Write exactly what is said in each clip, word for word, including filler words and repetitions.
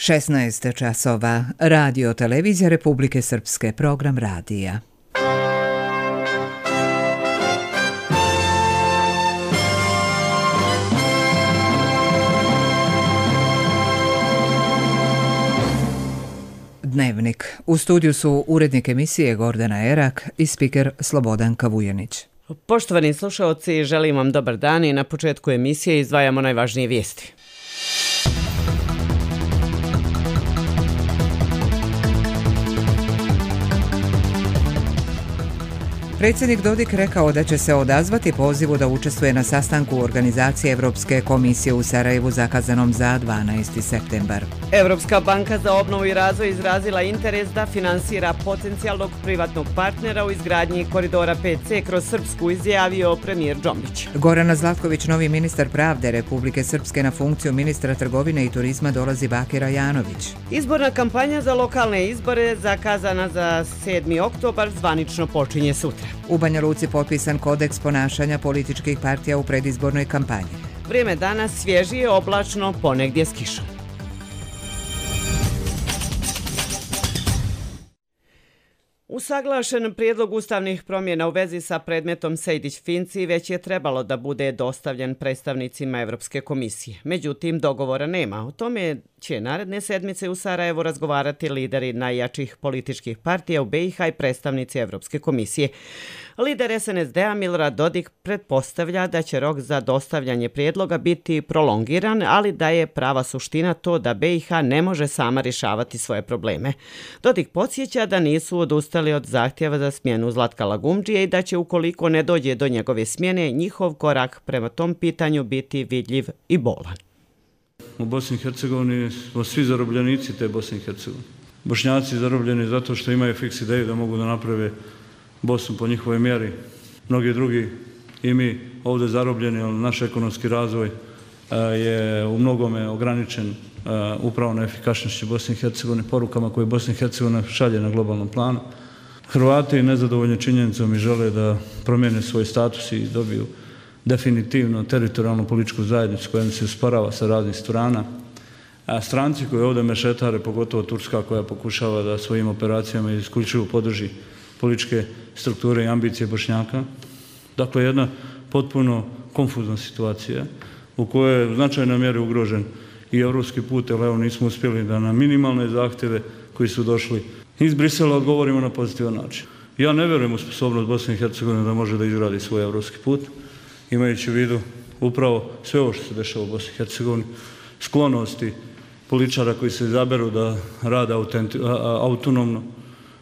šesnaest časova. Radio Televizija Republike Srpske, program radija. Dnevnik. U studiju su urednik emisije Gordana Erak i spiker Slobodan Kavujanić. Poštovani slušaoci, želim vam dobar dan i na početku emisije izdvajamo najvažnije vijesti. Predsjednik Dodik rekao da će se odazvati pozivu da učestvuje na sastanku organizacije Evropske komisije u Sarajevu zakazanom za dvanaesti septembar. Evropska banka za obnovu i razvoj izrazila interes da finansira potencijalnog privatnog partnera u izgradnji koridora pet ce kroz Srpsku, izjavio premijer Džombić. Gorana Zlatković, novi ministar pravde Republike Srpske, na funkciju ministra trgovine i turizma dolazi Bakir Ajanović. Izborna kampanja za lokalne izbore zakazana za sedmi oktobar zvanično počinje sutra. U Banja Luci potpisan kodeks ponašanja političkih partija u predizbornoj kampanji. Vrijeme danas svježije, oblačno, ponegdje s kišom. Usaglašen prijedlog ustavnih promjena u vezi sa predmetom Sejdić-Finci već je trebalo da bude dostavljen predstavnicima Evropske komisije. Međutim, dogovora nema. O tome će naredne sedmice u Sarajevu razgovarati lideri najjačih političkih partija u be i ha i predstavnici Evropske komisije. Lider es en es de a Milorad Dodik pretpostavlja da će rok za dostavljanje prijedloga biti prolongiran, ali da je prava suština to da be i ha ne može sama rješavati svoje probleme. Dodik podsjeća da nisu odustali od zahtjeva za smjenu Zlatka Lagumdžije i da će, ukoliko ne dođe do njegove smjene, njihov korak prema tom pitanju biti vidljiv i bolan. U Bosni i Hercegovini smo svi zarobljenici te Bosne i Hercegovine. Bošnjaci zarobljeni zato što imaju fiks ideju da mogu da naprave Bosnu po njihovoj mjeri. Mnogi drugi i mi ovdje zarobljeni, ali naš ekonomski razvoj je u mnogome ograničen upravo na efikasnošću Bosne i Hercegovine, porukama koje Bosna i Hercegovina šalje na globalnom planu. Hrvati nezadovoljni činjenicom i žele da promijene svoj status i dobiju definitivno teritorijalnu političku zajednicu koja se usporava sa raznih strana. A stranci koji ovdje mešetare, pogotovo Turska koja pokušava da svojim operacijama isključivo podrži političke strukture i ambicije Bošnjaka. Dakle, jedna potpuno konfuzna situacija u kojoj je u značajnoj mjeri ugrožen i evropski put, jer evo nismo uspjeli da na minimalne zahtjeve koji su došli iz Brisela odgovorimo na pozitivan način. Ja ne vjerujem u sposobnost Bosne i Hercegovine da može da izgradi svoj evropski put, imajući u vidu upravo sve ovo što se dešava u Bosni i Hercegovini, sklonosti političara koji se izaberu da rade autonomno,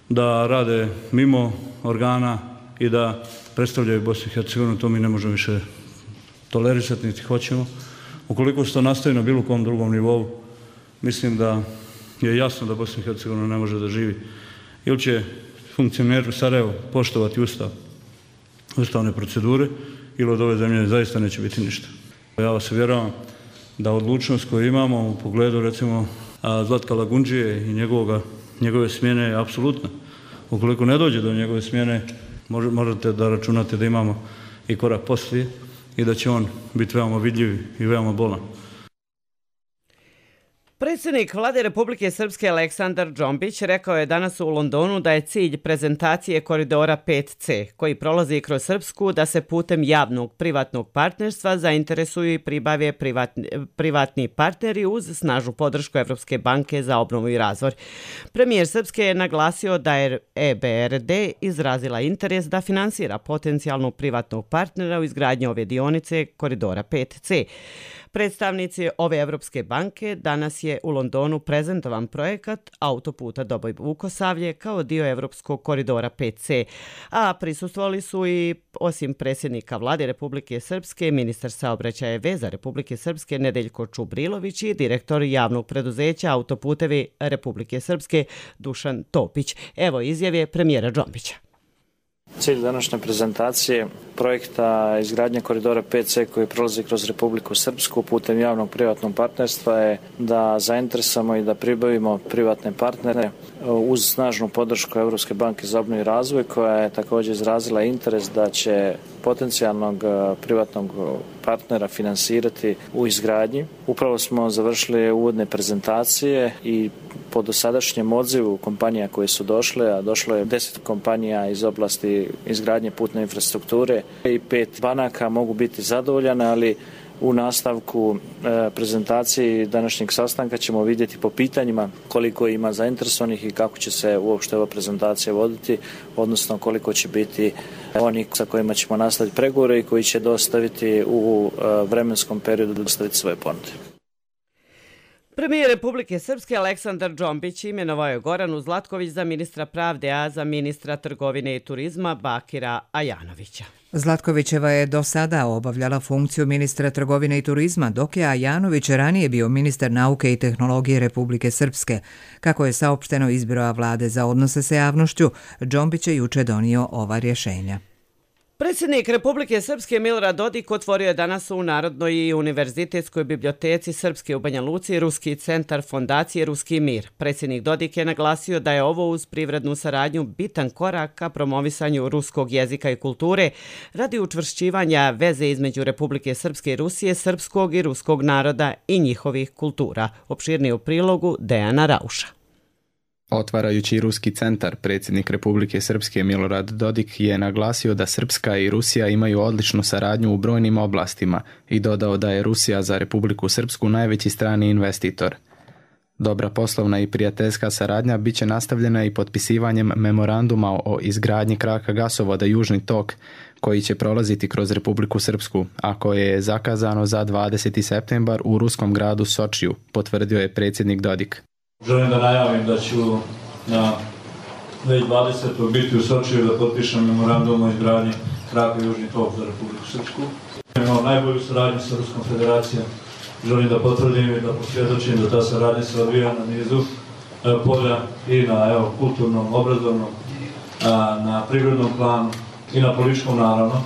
da rade mimo organa i da predstavljaju Bosnu i Hercegovinu, to mi ne možemo više tolerisati, niti hoćemo. Ukoliko se to nastavi na bilo kom drugom nivou, mislim da je jasno da Bosna i Hercegovina ne može da živi. Ili će funkcioneri u Sarajevu poštovati ustav, ustavne procedure, ili od ove zemlje zaista neće biti ništa. Ja vas uvjeravam da odlučnost koju imamo u pogledu, recimo, Zlatka Lagumdžije i njegovoga njegove smjene je apsolutna. Ukoliko ne dođe do njegove smjene, možete da računate da imamo i korak poslije i da će on biti veoma vidljiv i veoma bolan. Predsjednik Vlade Republike Srpske Aleksandar Džombić rekao je danas u Londonu da je cilj prezentacije koridora pet ce, koji prolazi kroz Srpsku, da se putem javnog privatnog partnerstva zainteresuju i pribave privatni, privatni partneri uz snažnu podršku Evropske banke za obnovu i razvoj. Premijer Srpske je naglasio da je e be er de izrazila interes da finansira potencijalnog privatnog partnera u izgradnji ove dionice koridora pet ce. Predstavnici ove Evropske banke danas je u Londonu prezentovan projekat autoputa Doboj-Vukosavlje kao dio Evropskog koridora pet ce, a prisustvovali su i, osim predsjednika Vlade Republike Srpske, ministar saobraćaja i veza Republike Srpske Nedeljko Čubrilović i direktor javnog preduzeća Autoputevi Republike Srpske Dušan Topić. Evo izjave premijera Džombića. Cilj današnje prezentacije projekta izgradnje koridora pet ce koji prolazi kroz Republiku Srpsku putem javnog privatnog partnerstva je da zainteresamo i da pribavimo privatne partnere uz snažnu podršku Evropske banke za obnovu i razvoj, koja je također izrazila interes da će potencijalnog privatnog partnera finansirati u izgradnji. Upravo smo završili uvodne prezentacije i po dosadašnjem odzivu kompanija koje su došle, a došlo je deset kompanija iz oblasti izgradnje putne infrastrukture i pet banaka, mogu biti zadovoljane, ali u nastavku e, prezentacije današnjeg sastanka ćemo vidjeti po pitanjima koliko ima zainteresovanih i kako će se uopšte ova prezentacija voditi, odnosno koliko će biti oni sa kojima ćemo nastaviti pregovore i koji će dostaviti u e, vremenskom periodu dostaviti svoje ponude. Premijer Republike Srpske Aleksandar Džombić imenovao je Goranu Zlatković za ministra pravde, a za ministra trgovine i turizma Bakira Ajanovića. Zlatkovićeva je do sada obavljala funkciju ministra trgovine i turizma, dok je Ajanović ranije bio ministar nauke i tehnologije Republike Srpske. Kako je saopšteno iz Biroa vlade za odnose sa javnošću, Džombić je juče donio ova rješenja. Predsjednik Republike Srpske Milorad Dodik otvorio je danas u Narodnoj i univerzitetskoj biblioteci Srpske u Banja Luci Ruski centar Fondacije Ruski mir. Predsjednik Dodik je naglasio da je ovo uz privrednu saradnju bitan korak ka promovisanju ruskog jezika i kulture radi učvršćivanja veze između Republike Srpske i Rusije, srpskog i ruskog naroda i njihovih kultura. Opširnije u prilogu Dejana Rauša. Otvarajući Ruski centar, predsjednik Republike Srpske Milorad Dodik je naglasio da Srpska i Rusija imaju odličnu saradnju u brojnim oblastima i dodao da je Rusija za Republiku Srpsku najveći strani investitor. Dobra poslovna i prijateljska saradnja bit će nastavljena i potpisivanjem memoranduma o izgradnji kraka gasovoda Južni tok, koji će prolaziti kroz Republiku Srpsku, a koje je zakazano za dvadeseti septembar u ruskom gradu Sočiju, potvrdio je predsjednik Dodik. Želim da najavim da ću na dvije tisuće dvadesetog biti u Sočiju da potpišem memorandum o izgradnji kraka Južni tok za Republiku Srpsku. Imamo najbolju saradnju sa Ruskom federacijom. Želim da potvrdim i da posvjedočim da ta saradnja se odvija na nizu polja i na evo, kulturnom, obrazovnom, na privrednom planu i na političkom naravno.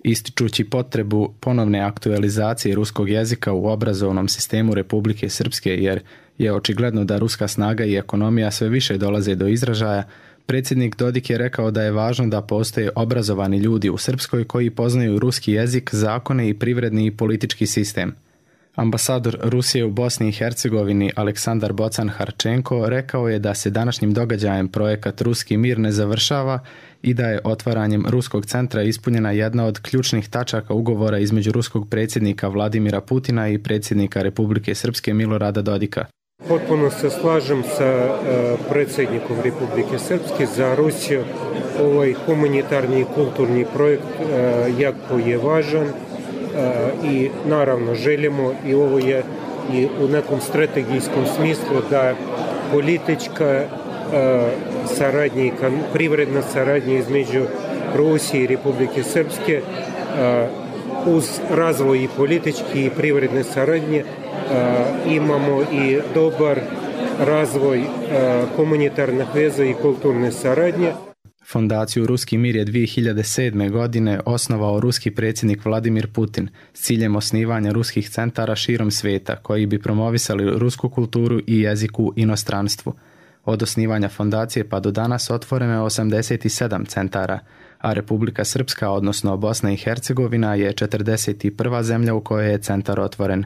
Ističući potrebu ponovne aktualizacije ruskog jezika u obrazovnom sistemu Republike Srpske, jer je očigledno da ruska snaga i ekonomija sve više dolaze do izražaja, predsjednik Dodik je rekao da je važno da postoje obrazovani ljudi u Srpskoj koji poznaju ruski jezik, zakone i privredni i politički sistem. Ambasador Rusije u Bosni i Hercegovini Aleksandar Bocan-Harčenko rekao je da se današnjim događajem projekat Ruski mir ne završava i da je otvaranjem Ruskog centra ispunjena jedna od ključnih tačaka ugovora između ruskog predsjednika Vladimira Putina i predsjednika Republike Srpske Milorada Dodika. Potpuno se slažem sa predsjednikom Republike Srpske. Za Rusiju ovaj humanitarni i kulturni projekt jako je važan i naravno želimo i ovo je i u nekom strategijskom smislu da politička saradnja i privredna saradnja između Rusije i Republike Srpske uz razvoj i politički i privredne saradnje imamo i dobar razvoj humanitarnih veza i kulturne saradnje. Fondaciju Ruski mir je dvije hiljade sedme. godine osnovao ruski predsjednik Vladimir Putin s ciljem osnivanja ruskih centara širom svijeta koji bi promovisali rusku kulturu i jezik u inostranstvu. Od osnivanja fondacije pa do danas otvoreno je osamdeset sedam centara, a Republika Srpska, odnosno Bosna i Hercegovina, je četrdeset prva zemlja u kojoj je centar otvoren.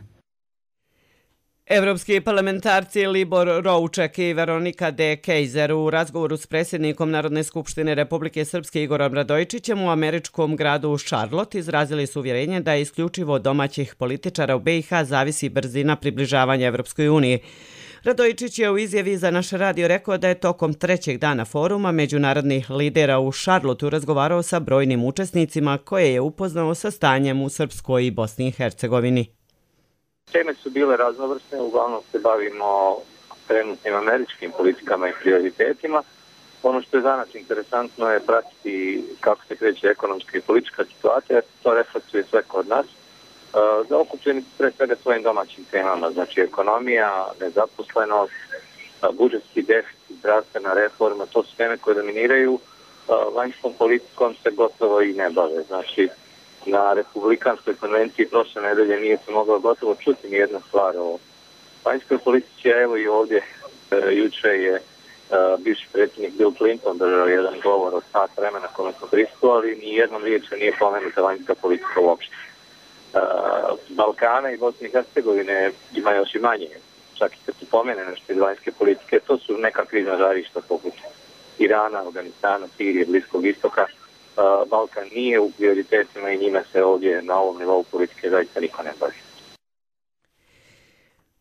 Evropski parlamentarci Libor Rouček i Veronika de Kejzer u razgovoru s predsjednikom Narodne skupštine Republike Srpske Igorom Radojičićem u američkom gradu Charlotte izrazili su uvjerenje da je isključivo od domaćih političara u B i H zavisi brzina približavanja Evropskoj uniji. Radojičić je u izjavi za naš radio rekao da je tokom trećeg dana foruma međunarodnih lidera u Charlotteu razgovarao sa brojnim učesnicima koje je upoznao sa stanjem u Srpskoj i Bosni i Hercegovini. Teme su bile raznovrsne, uglavnom se bavimo trenutnim američkim politikama i prioritetima. Ono što je za nas interesantno je pratiti kako se kreće ekonomska i politička situacija, to reflektuje sve kod nas. Zaokupljeni pre svega svojim domaćim temama, znači ekonomija, nezaposlenost, budžetski deficit, zdravstvena reforma, to su teme koje dominiraju. vanjskom politikom se gotovo i ne bave. Znači, na Republikanskoj konvenciji prošle nedelje nije se moglo gotovo čuti nijedna stvar o vanjskoj politici, a evo i ovdje e, juče je e, bivši predsjednik Bill Clinton držao jedan govor od sat vremena kome smo prisustvovali, ni jednom riječju nije pomenuta vanjska politika uopšte. E, Balkana i Bosne i Hercegovine ima još i manje, čak i kad se pomene nešto iz vanjske politike, to su neka krizna žarišta poput Irana, Afganistana, Sirije, Bliskog istoka. Balkan nije u prioritetima i njime se ovdje na ovom nivou politike zaista niko ne bavi.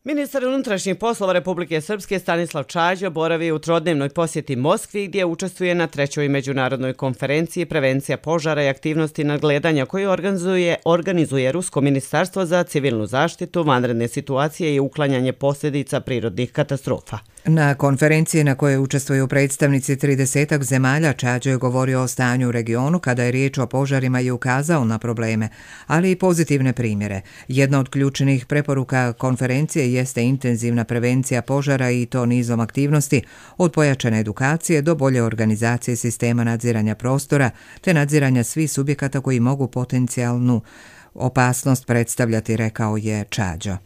Ministar unutrašnjih poslova Republike Srpske Stanislav Čađa boravi u trodnevnoj posjeti Moskvi gdje učestvuje na trećoj međunarodnoj konferenciji Prevencija požara i aktivnosti nadgledanja koju organizuje, organizuje Rusko ministarstvo za civilnu zaštitu, vanredne situacije i uklanjanje posljedica prirodnih katastrofa. Na konferenciji na kojoj učestvuju predstavnici tridesetak zemalja Čađa je govorio o stanju u regionu kada je riječ o požarima i ukazao na probleme, ali i pozitivne primjere. Jedna od ključnih preporuka konferencije jeste intenzivna prevencija požara i to nizom aktivnosti, od pojačane edukacije do bolje organizacije sistema nadziranja prostora te nadziranja svih subjekata koji mogu potencijalnu opasnost predstavljati, rekao je Čađa.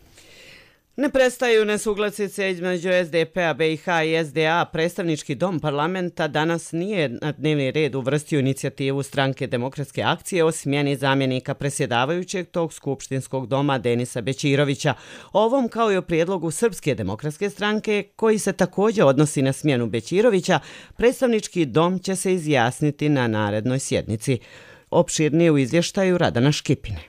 Ne prestaju nesuglasice između S D P-a B i H i S D A. Predstavnički dom parlamenta danas nije na dnevni red uvrstio inicijativu Stranke demokratske akcije o smjeni zamjenika predsjedavajućeg tog skupštinskog doma Denisa Bećirovića. Ovom kao i o prijedlogu Srpske demokratske stranke koji se također odnosi na smjenu Bećirovića, predstavnički dom će se izjasniti na narednoj sjednici. Opširnije u izvještaju Radana Škipine.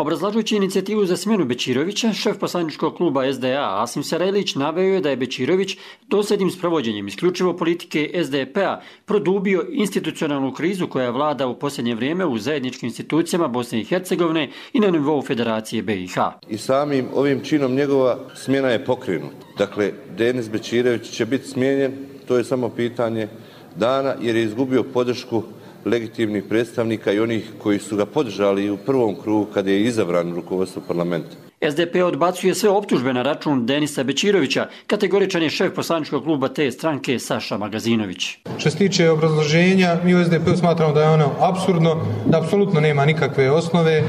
Obrazlažujući inicijativu za smjenu Bećirovića, šef poslaničkog kluba S D A Asim Sarajlić naveo je da je Bećirović dosljednim sprovođenjem isključivo politike S D P-a produbio institucionalnu krizu koja vlada u posljednje vrijeme u zajedničkim institucijama Bosne i Hercegovine i na nivou Federacije B i H. I samim ovim činom njegova smjena je pokrenuta. Dakle, Denis Bećirović će biti smijenjen, to je samo pitanje dana jer je izgubio podršku legitimnih predstavnika i onih koji su ga podržali u prvom krugu kada je izabran u rukovodstvo parlamenta. S D P odbacuje sve optužbe na račun Denisa Bećirovića, kategoričan je šef poslaničkog kluba te stranke Saša Magazinović. Što se tiče obrazloženja, mi u S D P-u smatramo da je ono apsurdno, da apsolutno nema nikakve osnove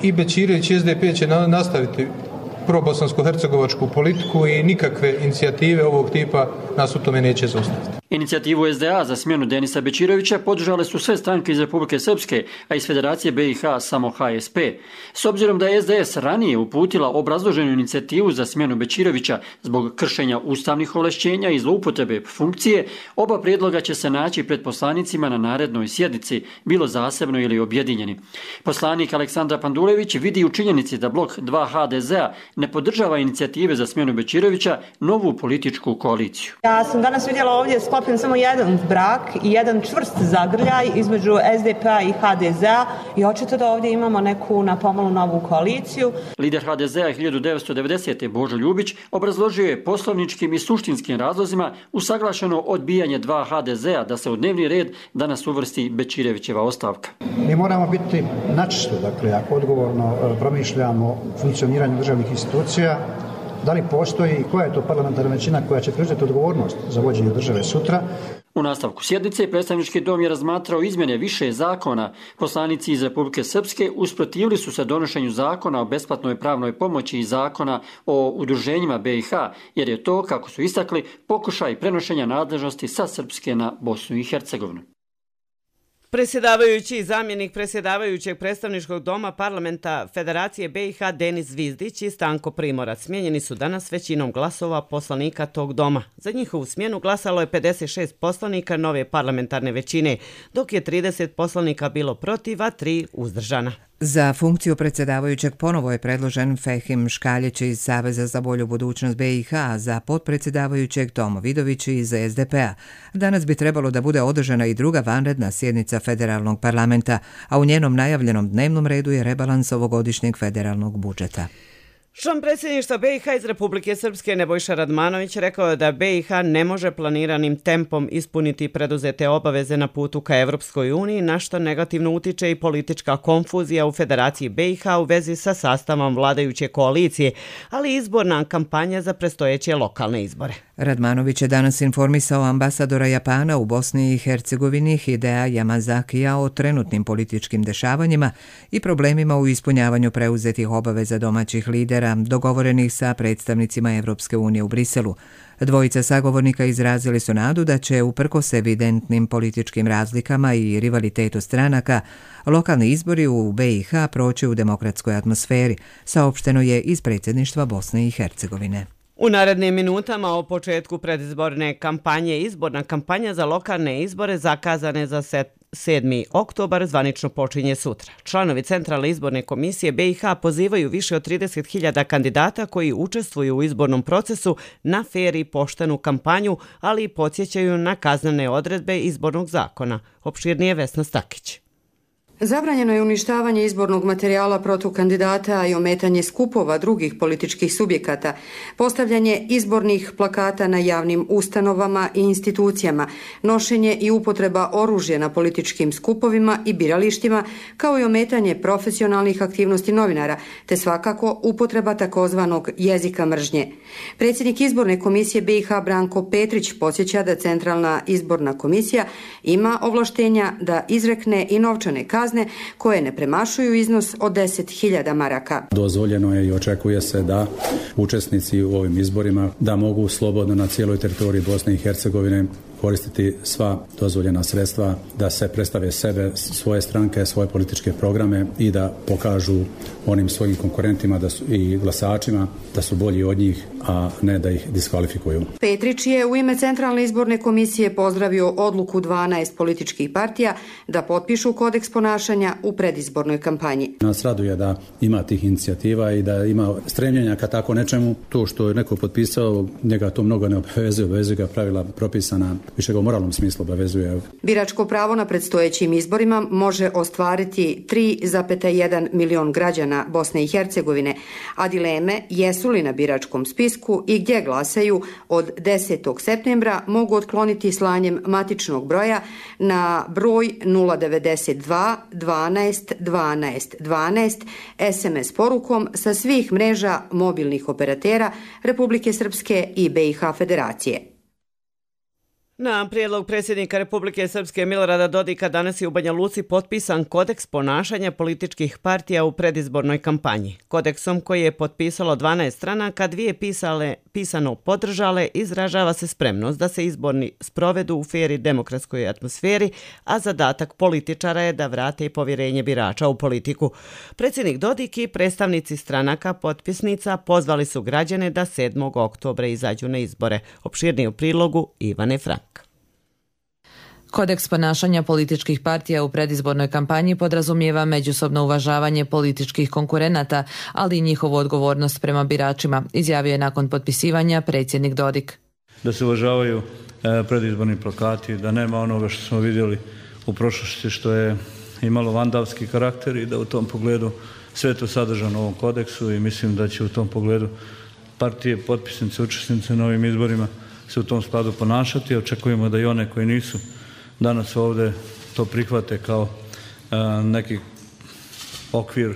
i Bećirović i S D P će nastaviti probosansko-hercegovačku politiku i nikakve inicijative ovog tipa nas u tome neće zaustaviti. Inicijativu S D A za smjenu Denisa Bećirovića podržale su sve stranke iz Republike Srpske, a iz Federacije B i H samo H S P. S obzirom da je S D S ranije uputila obrazloženu inicijativu za smjenu Bećirovića zbog kršenja ustavnih ovlašćenja i zloupotrebe funkcije, oba prijedloga će se naći pred poslanicima na narednoj sjednici, bilo zasebno ili objedinjeni. Poslanik Aleksandar Pandulević vidi u činjenici da blok dva H D Z-a ne podržava inicijative za smjenu Bećirovića novu političku koaliciju. Ja sam danas vidjela ovdje sklopljen samo jedan brak i jedan čvrst zagrljaj između S D P-a i H D Z-a i očito da ovdje imamo neku napomalo novu koaliciju. Lider H D Z-a hiljadu devetsto devedesete. Božo Ljubić obrazložio je poslovničkim i suštinskim razlozima usaglašeno odbijanje dva H D Z-a da se u dnevni red danas uvrsti Bećirovićeva ostavka. Mi moramo biti načisto, dakle, ako odgovorno promišljamo funkcioniranju državnih institucija, da li postoji i koja je to parlamentarna većina koja će preuzeti odgovornost za vođenje države sutra. U nastavku sjednice predstavnički dom je razmatrao izmjene više zakona. Poslanici iz Republike Srpske usprotivili su se donošenju zakona o besplatnoj pravnoj pomoći i zakona o udruženjima B i H, jer je to, kako su istakli, pokušaj prenošenja nadležnosti sa Srpske na Bosnu i Hercegovinu. Predsjedavajući i zamjenik predsjedavajućeg predstavničkog doma parlamenta Federacije B i H Denis Zvizdić i Stanko Primorac smijenjeni su danas većinom glasova poslanika tog doma. Za njihovu smjenu glasalo je pedeset šest poslanika nove parlamentarne većine, dok je trideset poslanika bilo protiv, a tri uzdržana. Za funkciju predsjedavajućeg ponovo je predložen Fehim Škaljić iz Saveza za bolju budućnost B i H, za potpredsjedavajućeg Tomo Vidović iz S D P-a. Danas bi trebalo da bude održana i druga vanredna sjednica federalnog parlamenta, a u njenom najavljenom dnevnom redu je rebalans ovogodišnjeg federalnog budžeta. Član predsjedništva B i H iz Republike Srpske Nebojša Radmanović rekao je da B i H ne može planiranim tempom ispuniti preduzete obaveze na putu ka Evropskoj uniji, na što negativno utiče i politička konfuzija u Federaciji B i H u vezi sa sastavom vladajuće koalicije, ali i izborna kampanja za predstojeće lokalne izbore. Radmanović je danas informisao ambasadora Japana u Bosni i Hercegovini Hidea Yamazakija o trenutnim političkim dešavanjima i problemima u ispunjavanju preuzetih obaveza domaćih lidera dogovorenih sa predstavnicima Evropske unije u Briselu. Dvojica sagovornika izrazili su nadu da će, uprkos evidentnim političkim razlikama i rivalitetu stranaka, lokalni izbori u B i H proći u demokratskoj atmosferi, saopšteno je iz predsjedništva Bosne i Hercegovine. U narednim minutama o početku predizborne kampanje izborna kampanja za lokalne izbore zakazane za sedmi oktobar zvanično počinje sutra. Članovi Centralne izborne komisije B i H pozivaju više od trideset hiljada kandidata koji učestvuju u izbornom procesu na fer i poštenu kampanju, ali i podsjećaju na kaznene odredbe izbornog zakona. Opširnije Vesna Stakić. Zabranjeno je uništavanje izbornog materijala protiv kandidata i ometanje skupova drugih političkih subjekata, postavljanje izbornih plakata na javnim ustanovama i institucijama, nošenje i upotreba oružja na političkim skupovima i biralištima, kao i ometanje profesionalnih aktivnosti novinara, te svakako upotreba takozvanog jezika mržnje. Predsjednik izborne komisije B i H Branko Petrić podsjeća da Centralna izborna komisija ima ovlaštenja da izrekne i novčane kazne koje ne premašuju iznos od deset hiljada maraka. Dozvoljeno je i očekuje se da učesnici u ovim izborima da mogu slobodno na cijeloj teritoriji Bosne i Hercegovine koristiti sva dozvoljena sredstva, da se predstave sebe, svoje stranke, svoje političke programe i da pokažu onim svojim konkurentima da su, i glasačima da su bolji od njih, a ne da ih diskvalifikuju. Petrić je u ime Centralne izborne komisije pozdravio odluku dvanaest političkih partija da potpišu kodeks ponašanja u predizbornoj kampanji. Nas raduje da ima tih inicijativa i da ima stremljenja ka tako nečemu. To što je neko potpisao, njega to mnogo ne obavezuje, obavezuje ga pravila propisana, više ga u moralnom smislu obavezuje. Biračko pravo na predstojećim izborima može ostvariti tri zarez jedan milion građana Bosne i Hercegovine, a dileme jesu li na biračkom spisku i gdje glasaju od desetog septembra mogu otkloniti slanjem matičnog broja na broj nula devedeset dva dvanaest dvanaest dvanaest es em es porukom sa svih mreža mobilnih operatera Republike Srpske i B i H Federacije. Na prijedlog predsjednika Republike Srpske Milorada Dodika danas je u Banja Luci potpisan kodeks ponašanja političkih partija u predizbornoj kampanji. Kodeksom koji je potpisalo dvanaest stranaka, dvije pisale, pisano podržale, izražava se spremnost da se izborni sprovedu u fer i demokratskoj atmosferi, a zadatak političara je da vrate i povjerenje birača u politiku. Predsjednik Dodik i predstavnici stranaka potpisnica pozvali su građane da sedmog oktobra izađu na izbore. Opširnije u prilogu Ivane Frank. Kodeks ponašanja političkih partija u predizbornoj kampanji podrazumijeva međusobno uvažavanje političkih konkurenata, ali i njihovu odgovornost prema biračima, izjavio je nakon potpisivanja predsjednik Dodik. Da se uvažavaju predizborni plakati, da nema onoga što smo vidjeli u prošlosti što je imalo vandalski karakter i da u tom pogledu sve to sadržano u ovom kodeksu i mislim da će u tom pogledu partije, potpisnice, učesnice na ovim izborima se u tom skladu ponašati. Očekujemo da i one koji nisu danas ovdje to prihvate kao a, neki okvir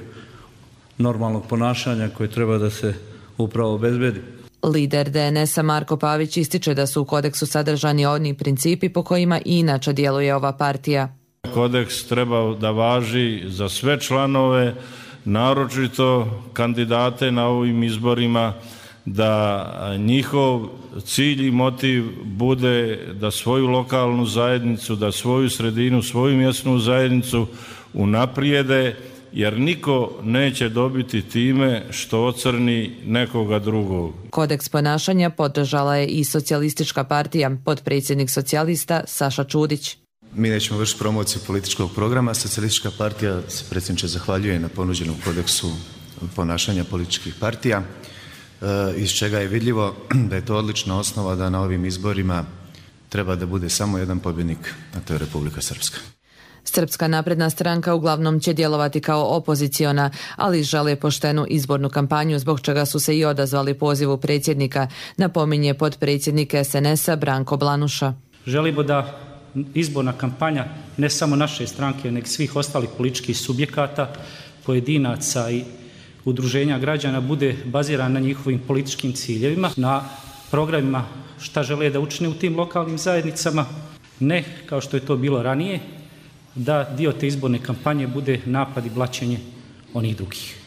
normalnog ponašanja koji treba da se upravo obezbedi. Lider de en es a Marko Pavić ističe da su u kodeksu sadržani oni principi po kojima i inače djeluje ova partija. Kodeks treba da važi za sve članove, naročito kandidate na ovim izborima, da njihov cilj i motiv bude da svoju lokalnu zajednicu, da svoju sredinu, svoju mjesnu zajednicu unaprijede, jer niko neće dobiti time što ocrni nekoga drugog. Kodeks ponašanja podržala je i Socijalistička partija, potpredsjednik socijalista Saša Čudić. Mi nećemo vršiti promociju političkog programa. Socijalistička partija se predsjedniče zahvaljuje na ponuđenom kodeksu ponašanja političkih partija, iz čega je vidljivo da je to odlična osnova da na ovim izborima treba da bude samo jedan pobjednik, a to je Republika Srpska. Srpska napredna stranka uglavnom će djelovati kao opoziciona, ali žele poštenu izbornu kampanju, zbog čega su se i odazvali pozivu predsjednika, napominje potpredsjednik es en es a Branko Blanuša. Želimo da izborna kampanja ne samo naše stranke, nego svih ostalih političkih subjekata, pojedinaca i udruženja građana bude bazirana na njihovim političkim ciljevima, na programima šta žele da učine u tim lokalnim zajednicama, ne kao što je to bilo ranije, da dio te izborne kampanje bude napad i blaćenje onih drugih.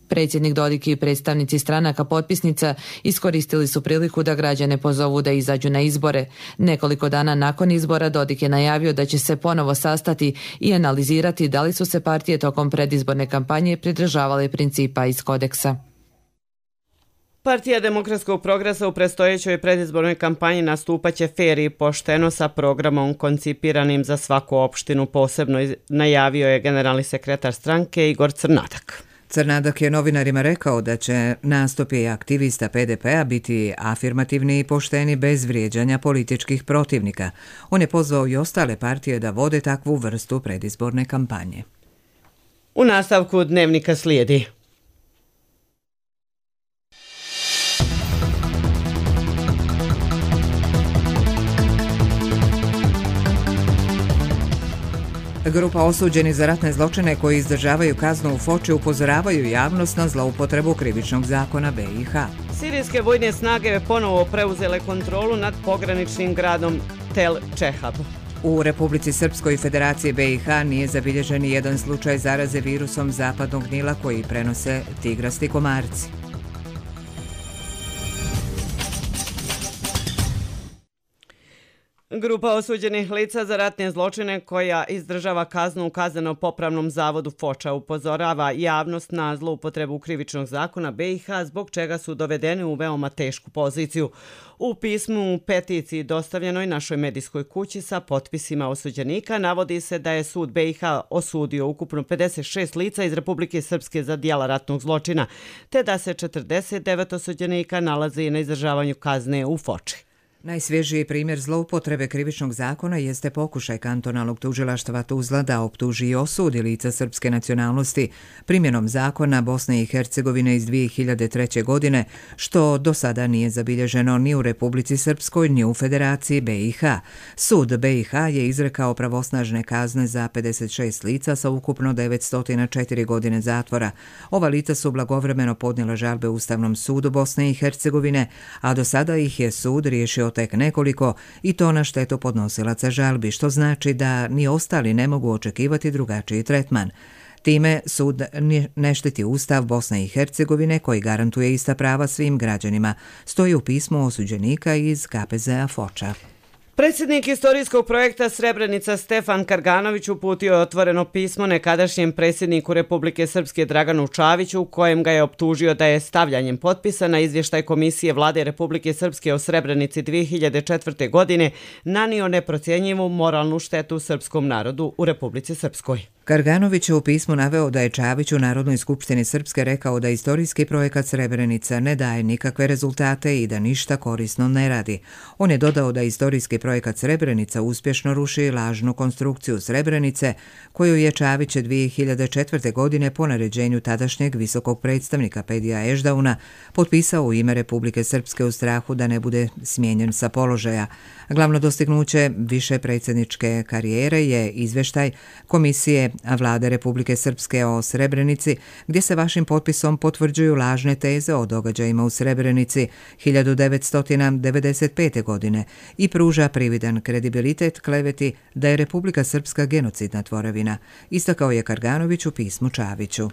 Predsjednik Dodik i predstavnici stranaka potpisnica iskoristili su priliku da građane pozovu da izađu na izbore. Nekoliko dana nakon izbora Dodik je najavio da će se ponovo sastati i analizirati da li su se partije tokom predizborne kampanje pridržavale principa iz kodeksa. Partija Demokratskog progresa u predstojećoj predizbornoj kampanji nastupaće fer i pošteno sa programom koncipiranim za svaku opštinu, posebno najavio je generalni sekretar stranke Igor Crnadak. Crnadak je novinarima rekao da će nastupi aktivista pe de pe a biti afirmativni i pošteni bez vrijeđanja političkih protivnika. On je pozvao i ostale partije da vode takvu vrstu predizborne kampanje. U nastavku dnevnika slijedi. Grupa osuđenih za ratne zločine koji izdržavaju kaznu u Foči upozoravaju javnost na zloupotrebu krivičnog zakona be i ha. Sirijske vojne snage ponovo preuzele kontrolu nad pograničnim gradom Tel Čehab. U Republici Srpskoj i Federaciji be i ha nije zabilježen jedan slučaj zaraze virusom zapadnog Nila koji prenose tigrasti komarci. Grupa osuđenih lica za ratne zločine koja izdržava kaznu u kazneno-popravnom zavodu Foča upozorava javnost na zloupotrebu krivičnog zakona be i ha, zbog čega su dovedeni u veoma tešku poziciju. U pismu u peticiji dostavljenoj našoj medijskoj kući sa potpisima osuđenika navodi se da je sud be i ha osudio ukupno pedeset šest lica iz Republike Srpske za djela ratnog zločina, te da se četrdeset devet osuđenika nalazi na izdržavanju kazne u Foči. Najsvježiji primjer zloupotrebe krivičnog zakona jeste pokušaj kantonalnog tužilaštva Tuzla da optuži i osudi lica srpske nacionalnosti primjenom zakona Bosne i Hercegovine iz dvije hiljade treće. godine, što do sada nije zabilježeno ni u Republici Srpskoj ni u Federaciji be i ha. Sud be i ha je izrekao pravosnažne kazne za pedeset šest lica sa ukupno devetsto četiri godine zatvora. Ova lica su blagovremeno podnijela žalbe Ustavnom sudu Bosne i Hercegovine, a do sada ih je sud riješio tek nekoliko i to na štetu podnosilaca žalbi, što znači da ni ostali ne mogu očekivati drugačiji tretman. Time sud ne štiti Ustav Bosne i Hercegovine koji garantuje ista prava svim građanima, stoji u pismu osuđenika iz ka pe ze a Foča. Predsjednik istorijskog projekta Srebrenica Stefan Karganović uputio je otvoreno pismo nekadašnjem predsjedniku Republike Srpske Draganu Čaviću, u kojem ga je optužio da je stavljanjem potpisa na izvještaj Komisije Vlade Republike Srpske o Srebrenici dvije hiljade četvrte. godine nanio neprocjenjivu moralnu štetu srpskom narodu u Republici Srpskoj. Karganović je u pismu naveo da je Čavić u Narodnoj skupštini Srpske rekao da istorijski projekat Srebrenica ne daje nikakve rezultate i da ništa korisno ne radi. On je dodao da istorijski projekat Srebrenica uspješno ruši lažnu konstrukciju Srebrenice, koju je Čavić dvije hiljade četvrte. godine po naređenju tadašnjeg visokog predstavnika Pedija Eždauna potpisao u ime Republike Srpske u strahu da ne bude smijenjen sa položaja. Glavno dostignuće više predsjedničke karijere je izvještaj Komisije Vlade Republike Srpske o Srebrenici, gdje se vašim potpisom potvrđuju lažne teze o događajima u Srebrenici hiljadu devetsto devedeset pete. godine i pruža prividan kredibilitet kleveti da je Republika Srpska genocidna tvorevina, istakao je Karganović u pismu Čaviću.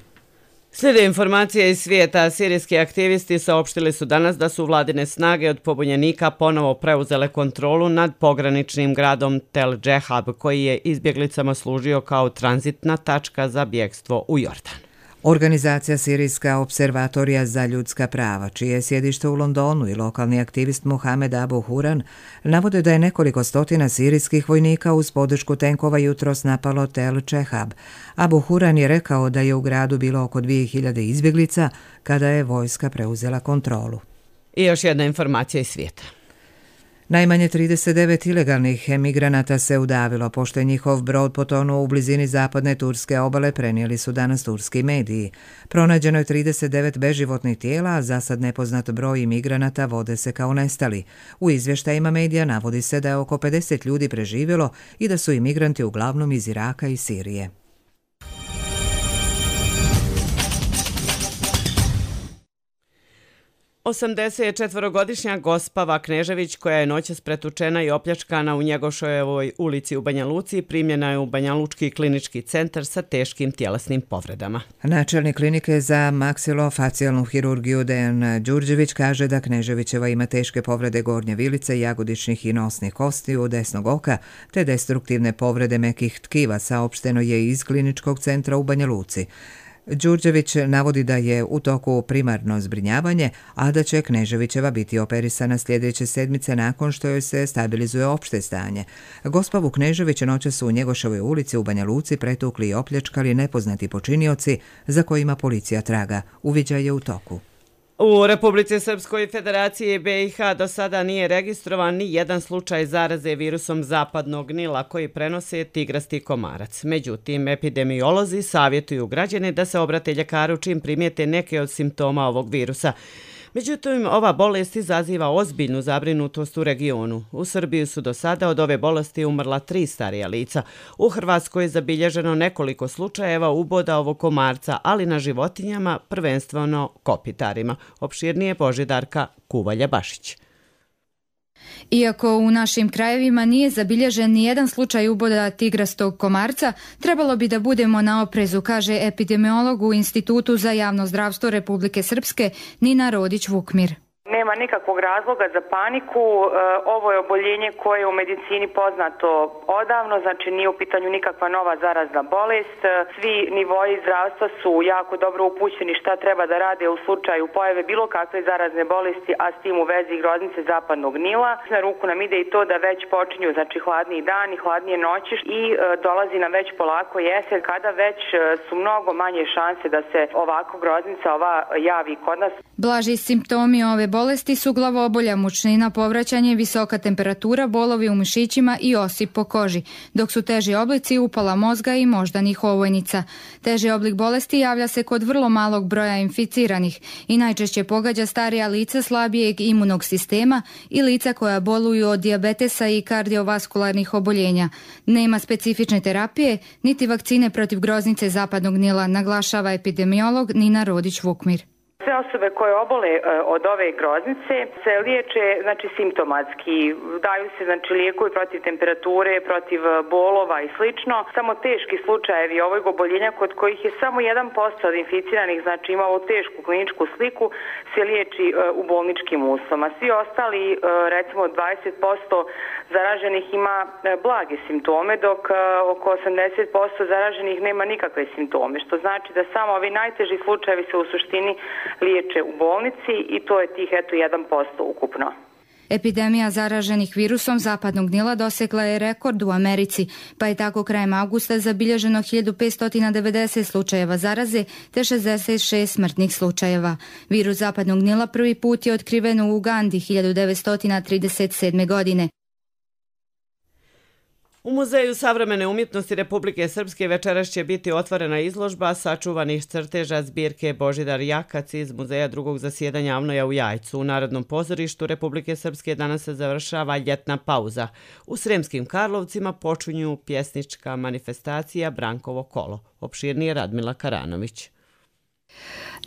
Slijede informacije iz svijeta. Sirijski aktivisti saopštili su danas da su vladine snage od pobunjenika ponovo preuzele kontrolu nad pograničnim gradom Tel Džehab, koji je izbjeglicama služio kao tranzitna tačka za bjegstvo u Jordan. Organizacija Sirijska observatorija za ljudska prava, čije je sjedište u Londonu, i lokalni aktivist Mohamed Abu Huran navode da je nekoliko stotina sirijskih vojnika uz podršku tenkova jutros napalo Tel Čehab. Abu Huran je rekao da je u gradu bilo oko dvije hiljade izbjeglica kada je vojska preuzela kontrolu. I još jedna informacija iz svijeta. Najmanje trideset devet ilegalnih emigranata se udavilo, pošto je njihov brod potonuo u blizini zapadne turske obale, prenijeli su danas turski mediji. Pronađeno je trideset devet beživotnih tijela, a za sad nepoznat broj imigranata vode se kao nestali. U izvještajima medija navodi se da je oko pedeset ljudi preživjelo i da su imigranti uglavnom iz Iraka i Sirije. osamdesetčetvorogodišnja Gospava Knežević, koja je noćas pretučena i opljačkana u Njegoševoj ulici u Banja Luci, primljena je u Banjalučki klinički centar sa teškim tjelesnim povredama. Načelnik klinike za maksilofacijalnu hirurgiju Dejan Đurđević kaže da Kneževićeva ima teške povrede gornje vilice, jagodičnih i nosnih kostiju, desnog oka, te destruktivne povrede mekih tkiva, saopšteno je iz kliničkog centra u Banja Luci. Đurđević navodi da je u toku primarno zbrinjavanje, a da će Kneževićeva biti operisana sljedeće sedmice nakon što joj se stabilizuje opšte stanje. Gospavu Knežević noće su u Njegoševoj ulici u Banja Luci pretukli i opljačkali nepoznati počinioci za kojima policija traga. Uviđaj je u toku. U Republici Srpskoj i Federaciji B i H do sada nije registrovan ni jedan slučaj zaraze virusom zapadnog Nila koji prenose tigrasti komarac. Međutim, epidemiolozi savjetuju građane da se obrate ljekaru čim primijete neke od simptoma ovog virusa. Međutim, ova bolest izaziva ozbiljnu zabrinutost u regionu. U Srbiji su do sada od ove bolesti umrla tri starija lica. U Hrvatskoj je zabilježeno nekoliko slučajeva uboda ovog komarca, ali na životinjama, prvenstveno kopitarima. Opširnije Božidarka Kuvalja-Bašić. Iako u našim krajevima nije zabilježen ni jedan slučaj uboda tigrastog komarca, trebalo bi da budemo na oprezu, kaže epidemiolog u Institutu za javno zdravstvo Republike Srpske Nina Rodić-Vukmir. Nema nikakvog razloga za paniku. Ovo je oboljenje koje je u medicini poznato odavno, znači nije u pitanju nikakva nova zarazna bolest. Svi nivoi zdravstva su jako dobro upućeni šta treba da rade u slučaju pojave bilo kakve zarazne bolesti, a s tim u vezi groznice zapadnog Nila. Na ruku nam ide i to da već počinju znači hladniji dani, hladnije noći i dolazi nam već polako jesen, kada već su mnogo manje šanse da se ovako groznica ova javi kod nas. Blaži simptomi ove bolesti su glavoobolja, mučnina, povraćanje, visoka temperatura, bolovi u mišićima i osip po koži, dok su teži oblici upala mozga i moždanih ovojnica. Teži oblik bolesti javlja se kod vrlo malog broja inficiranih i najčešće pogađa starija lica slabijeg imunog sistema i lica koja boluju od dijabetesa i kardiovaskularnih oboljenja. Nema specifične terapije, niti vakcine protiv groznice zapadnog Nila, naglašava epidemiolog Nina Rodić-Vukmir. Sve osobe koje obole od ove groznice se liječe znači simptomatski, daju se znači lijekovi protiv temperature, protiv bolova i slično. Samo teški slučajevi ovog oboljenja kod kojih je samo jedan posto od inficiranih znači ima ovu tešku kliničku sliku se liječi u bolničkim uslovima. Svi ostali recimo dvadeset posto zaraženih ima blage simptome, dok oko osamdeset posto zaraženih nema nikakve simptome, što znači da samo ovi najteži slučajevi se u suštini liječe u bolnici i to je tih eto jedan posto ukupno. Epidemija zaraženih virusom zapadnog Nila dosegla je rekord u Americi, pa je tako krajem avgusta zabilježeno hiljadu petsto devedeset slučajeva zaraze te šezdeset šest smrtnih slučajeva. Virus zapadnog Nila prvi put je otkriven u Ugandi hiljadu devetsto trideset sedme. godine. U Muzeju savremene umjetnosti Republike Srpske večeras će biti otvorena izložba sačuvanih crteža zbirke Božidar Jakac iz Muzeja drugog zasjedanja Avnoja u Jajcu. U Narodnom pozorištu Republike Srpske danas se završava ljetna pauza. U Sremskim Karlovcima počinju pjesnička manifestacija Brankovo kolo. Opširnije Radmila Karanović.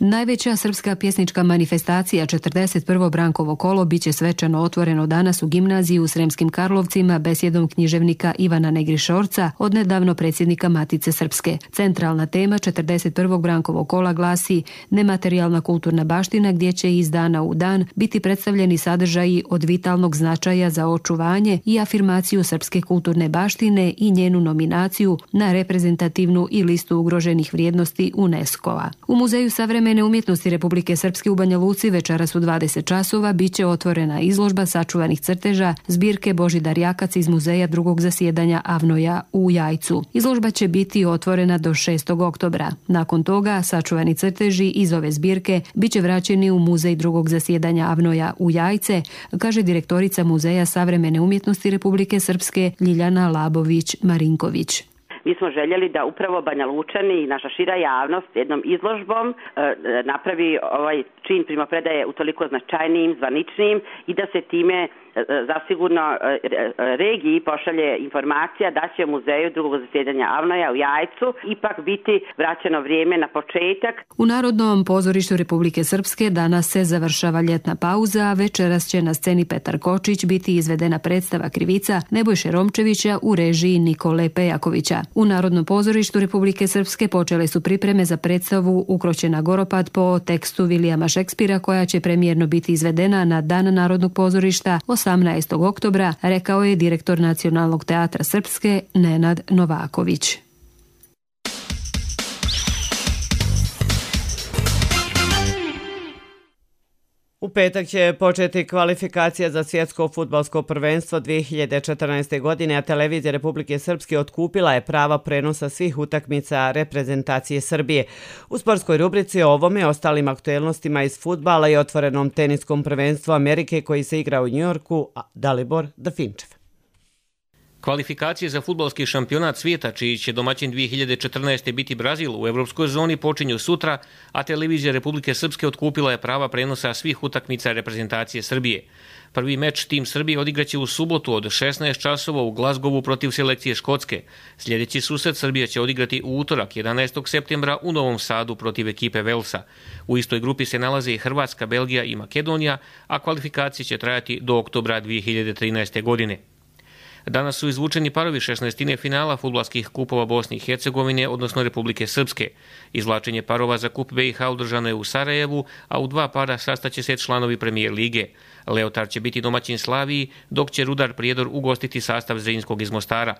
Najveća srpska pjesnička manifestacija četrdeset prvo Brankovo kolo biće svečano otvoreno danas u gimnaziji u Sremskim Karlovcima besjedom književnika Ivana Negrišorca, odnedavno predsjednika Matice Srpske. Centralna tema četrdeset prvog Brankovog kola glasi nematerijalna kulturna baština, gdje će iz dana u dan biti predstavljeni sadržaji od vitalnog značaja za očuvanje i afirmaciju srpske kulturne baštine i njenu nominaciju na reprezentativnu i listu ugroženih vrijednosti UNESCO-a. U Muzeju savremene savremene umjetnosti Republike Srpske u Banja Luci večeras u dvadeset časova biće otvorena izložba sačuvanih crteža zbirke Božidar Jakac iz muzeja drugog zasjedanja Avnoja u Jajcu. Izložba će biti otvorena do šestog oktobra. Nakon toga sačuvani crteži iz ove zbirke biće vraćeni u muzej drugog zasjedanja Avnoja u Jajce, kaže direktorica Muzeja savremene umjetnosti Republike Srpske Ljiljana Labović-Marinković. Mi smo željeli da upravo Banja Lučani i naša šira javnost jednom izložbom e, napravi ovaj čin primopredaje utoliko značajnijim, zvaničnijim i da se time e, zasigurno e, regiji pošalje informacija da će u muzeju drugog zasjedanja Avnoja u Jajcu ipak biti vraćeno vrijeme na početak. U Narodnom pozorištu Republike Srpske danas se završava ljetna pauza, a večeras će na sceni Petar Kočić biti izvedena predstava Krivica Nebojše Romčevića u režiji Nikole Pejakovića. U Narodnom pozorištu Republike Srpske počele su pripreme za predstavu Ukroćena Goropad po tekstu Vilijama Šekspira, koja će premijerno biti izvedena na Dan Narodnog pozorišta osamnaestog oktobra, rekao je direktor Nacionalnog teatra Srpske Nenad Novaković. U petak će početi kvalifikacija za svjetsko fudbalsko prvenstvo dvije hiljade četrnaeste. godine, a televizija Republike Srpske otkupila je prava prenosa svih utakmica reprezentacije Srbije. U sportskoj rubrici o ovome, ostalim aktuelnostima iz fudbala i otvorenom teniskom prvenstvu Amerike koji se igra u Njujorku, Dalibor Dafinčev. Kvalifikacije za fudbalski šampionat svijeta, čiji će domaćin dvije hiljade četrnaeste. biti Brazil, u evropskoj zoni počinju sutra, a televizija Republike Srpske otkupila je prava prenosa svih utakmica reprezentacije Srbije. Prvi meč tim Srbije odigraće u subotu od šesnaest časova u Glazgovu protiv selekcije Škotske. Sljedeći susret Srbija će odigrati u utorak jedanaestog septembra u Novom Sadu protiv ekipe Velsa. U istoj grupi se nalaze i Hrvatska, Belgija i Makedonija, a kvalifikacije će trajati do oktobra dvije hiljade trinaeste. godine. Danas su izvučeni parovi šesnaestine finala fudbalskih kupova Bosne i Hercegovine, odnosno Republike Srpske. Izvlačenje parova za kup B i H održano je u Sarajevu, a u dva para sastaće se članovi Premijer lige. Leotar će biti domaćin Slaviji, dok će Rudar Prijedor ugostiti sastav Zrinjskog iz Mostara.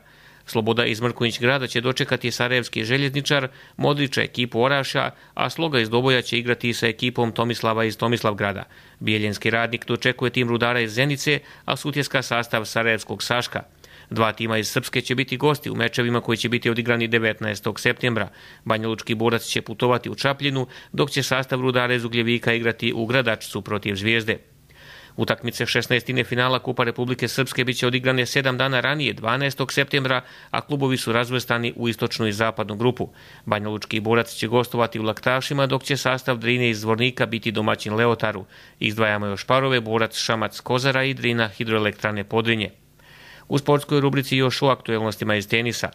Sloboda iz Mrkonjić grada će dočekati Sarajevski željezničar, Modrića ekipu Oraša, a Sloga iz Doboja će igrati sa ekipom Tomislava iz Tomislavgrada. Bijeljenski Radnik dočekuje tim Rudara iz Zenice, a Sutjeska sastav Sarajevskog Saška. Dva tima iz Srpske će biti gosti u mečevima koji će biti odigrani devetnaestog septembra. Banjalučki Borac će putovati u Čapljinu, dok će sastav Rudara iz Ugljevika igrati u Gradačcu protiv Zvijezde. Utakmice šesnaestine finala Kupa Republike Srpske biće odigrane sedam dana ranije, dvanaestog septembra, a klubovi su razvrstani u istočnu i zapadnu grupu. Banjalučki Borac će gostovati u Laktašima, dok će sastav Drine iz Zvornika biti domaćin Leotaru. Izdvajamo još parove Borac Šamac Kozara i Drina Hidroelektrane Podrinje. U sportskoj rubrici još o aktuelnostima iz tenisa.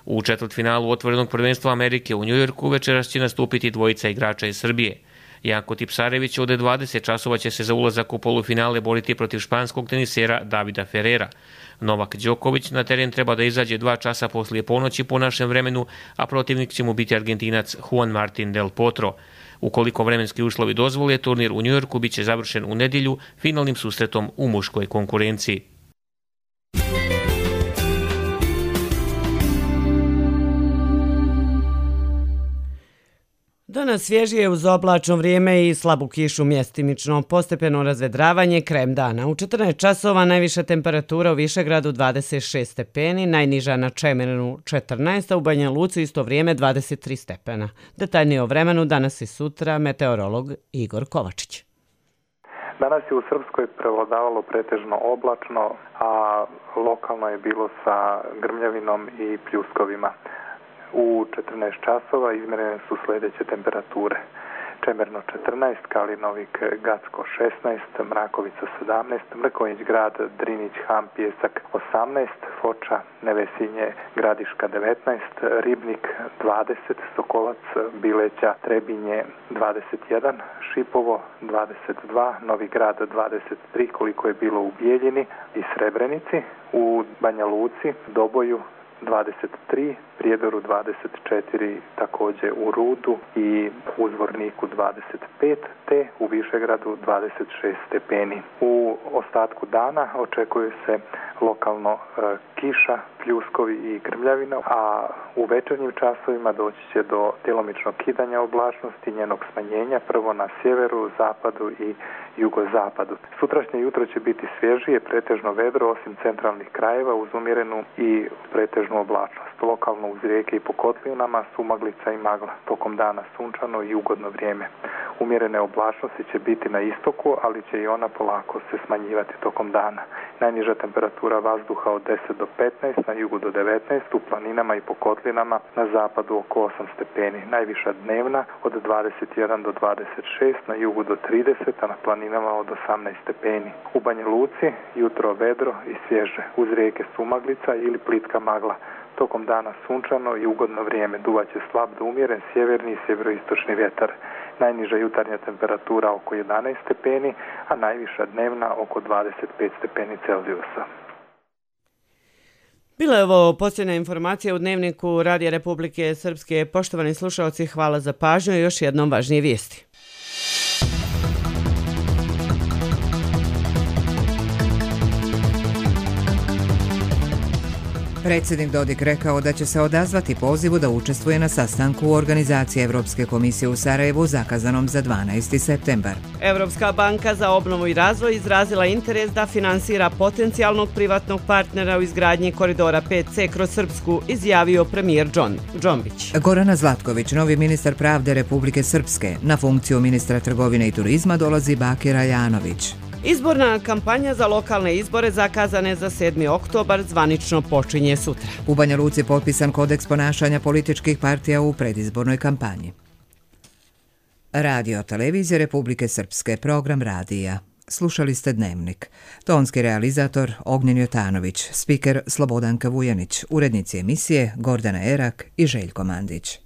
U četvrtfinalu otvorenog prvenstva Amerike u Njujorku večeras će nastupiti dvojica igrača iz Srbije. Janko Tipsarević od dvadeset časova će se za ulazak u polufinale boriti protiv španskog tenisera Davida Ferrera. Novak Đoković na teren treba da izađe dva časa poslije ponoći po našem vremenu, a protivnik će mu biti Argentinac Juan Martín del Potro. Ukoliko vremenski uslovi dozvole, turnir u Njujorku biće završen u nedjelju finalnim susretom u muškoj konkurenciji. Danas svježije uz oblačno vrijeme i slabu kišu, mjestimično postepeno razvedravanje krajem dana. U četrnaest časova najviša temperatura u Višegradu dvadeset šest stepeni, najniža na Čemernu četrnaest, a u Banja Luci isto vrijeme dvadeset tri stepena. Detaljnije o vremenu danas i sutra meteorolog Igor Kovačić. Danas je u Srpskoj prevladavalo pretežno oblačno, a lokalno je bilo sa grmljavinom i pljuskovima. U četrnaest časova izmjerene su sljedeće temperature. Čemerno četrnaest, Kalinovik, Gacko šesnaest, Mrakovica sedamnaest, Mrkonjić grad, Drinić, Ham, Pjesak osamnaest, Foča, Nevesinje, Gradiška devetnaest, Ribnik dvadeset, Sokolac, Bileća, Trebinje dvadeset jedan, Šipovo dvadeset dva, Novi grad dvadeset tri koliko je bilo u Bijeljini i Srebrenici, u Banja Luci, Doboju dvadeset tri, Prijedoru dvadeset četiri, također u Rudu i u Zvorniku dvadeset pet, te u Višegradu dvadeset šest stepeni. U ostatku dana očekuje se lokalno e, kiša, pljuskovi i grmljavina, a u večernjim časovima doći će do djelomičnog kidanja oblačnosti, njenog smanjenja, prvo na sjeveru, zapadu i jugozapadu. Sutrašnje jutro će biti svježije, pretežno vedro, osim centralnih krajeva, uz umjerenu i pretežnu oblačnost. Lokalno uz rijeke i po kotlinama sumaglica i magla. Tokom dana sunčano i ugodno vrijeme. Umjerene oblačnosti će biti na istoku, ali će i ona polako se smanjivati tokom dana. Najniža temperatura vazduha od deset do petnaest, na jugu do devetnaest, u planinama i po kotlinama, na zapadu oko osam stepeni. Najviša dnevna od dvadeset jedan do dvadeset šest, na jugu do trideset, a na planinama od osamnaest stepeni. U Banja Luci jutro vedro i svježe, uz rijeke sumaglica ili plitka magla. Tokom dana sunčano i ugodno vrijeme, duvaće slab do umjeren sjeverni i sjeveroistočni vjetar. Najniža jutarnja temperatura oko jedanaest stepeni, a najviša dnevna oko dvadeset pet stepeni Celzijusa. Bila je ovo posljednja informacija u Dnevniku Radija Republike Srpske. Poštovani slušalci, hvala za pažnju i još jednom važnije vijesti. Predsjednik Dodik rekao da će se odazvati pozivu da učestvuje na sastanku u organizaciji Evropske komisije u Sarajevu zakazanom za dvanaesti septembar. Evropska banka za obnovu i razvoj izrazila interes da finansira potencijalnog privatnog partnera u izgradnji koridora pet ce kroz Srpsku, izjavio premijer Džon Džombić. Gorana Zlatković, novi ministar pravde Republike Srpske, na funkciju ministra trgovine i turizma dolazi Bakir Ajanović. Izborna kampanja za lokalne izbore zakazane za sedmi oktobar zvanično počinje sutra. U Banja Luci potpisan kodeks ponašanja političkih partija u predizbornoj kampanji. Radio televizije Republike Srpske, program radija. Slušali ste Dnevnik. Tonski realizator Ognjen Jotanović, spiker Slobodanka Vujanić, urednici emisije Gordana Erak i Željko Mandić.